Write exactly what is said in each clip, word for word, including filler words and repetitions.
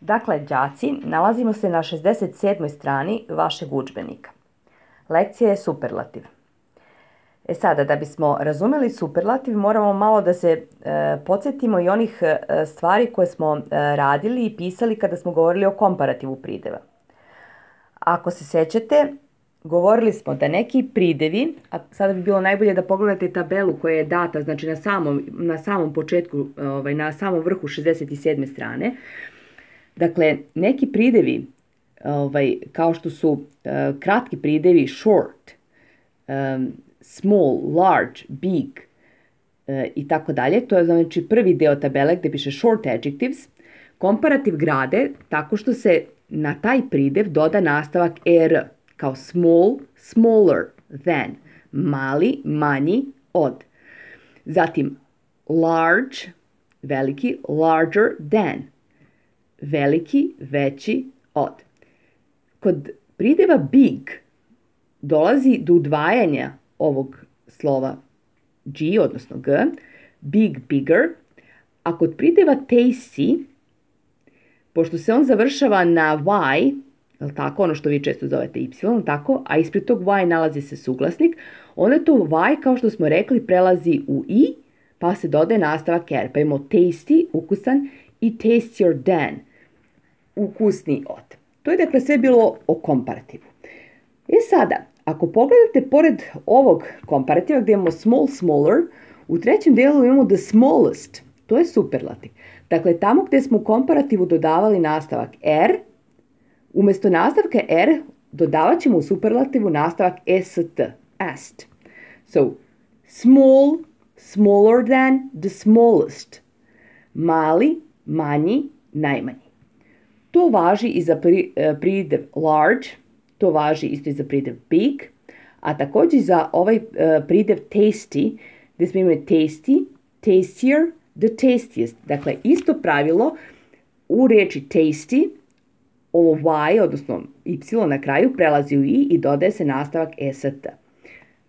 Dakle, đaci, nalazimo se na šezdeset sedmoj strani vašeg udžbenika. Lekcija je superlativ. E sada, da bismo razumeli superlativ, moramo malo da se e, podsjetimo i onih e, stvari koje smo e, radili i pisali kada smo govorili o komparativu prideva. Ako se sećate, govorili smo da neki pridevi, a sada bi bilo najbolje da pogledate tabelu koja je data, znači na samom, na samom početku, ovaj, na samom vrhu šezdeset sedme strane, dakle, neki pridevi, ovaj, kao što su uh, kratki pridevi short, um, small, large, big uh, i tako dalje, to je znači prvi deo tabele gde piše short adjectives, komparativ grade tako što se na taj pridev doda nastavak er, kao small, smaller than, mali, manji od. Zatim large, veliki, larger than, veliki, veći od. Kod prideva big dolazi do udvajanja ovog slova G, odnosno G, big, bigger, a kod prideva tasty, pošto se on završava na y, je tako, ono što vi često zovete y, tako, a ispred tog y nalazi se suglasnik, onda to y, kao što smo rekli, prelazi u i, pa se dodaje nastavak er, pa imamo tasty, ukusan, i tastier than, ukusniji od. To je dakle sve bilo o komparativu. E sada, ako pogledate pored ovog komparativa gdje imamo small, smaller, u trećem delu imamo the smallest, to je superlativ. Dakle, tamo gdje smo u komparativu dodavali nastavak er, umjesto nastavka er dodavat ćemo u superlativu nastavak est, est. So, small, smaller than, the smallest. Mali, manji, najmanji. To važi i za pridev large, to važi isto i za pridev big, a također i za ovaj pridev tasty, gdje smo imali tasty, tastier, the tastiest. Dakle, isto pravilo u reči tasty, ovo y, odnosno y na kraju, prelazi u i i dodaje se nastavak est.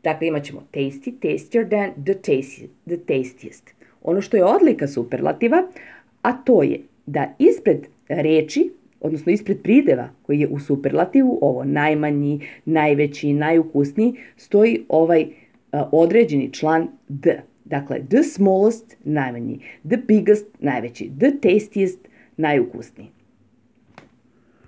Dakle, imat ćemo tasty, tastier than, the tastiest, the tastiest. Ono što je odlika superlativa, a to je da ispred reči, odnosno ispred prideva koji je u superlativu, ovo najmanji, najveći, najukusniji, stoji ovaj uh, određeni član the. Dakle, the smallest, najmanji, the biggest, najveći, the tastiest, najukusniji.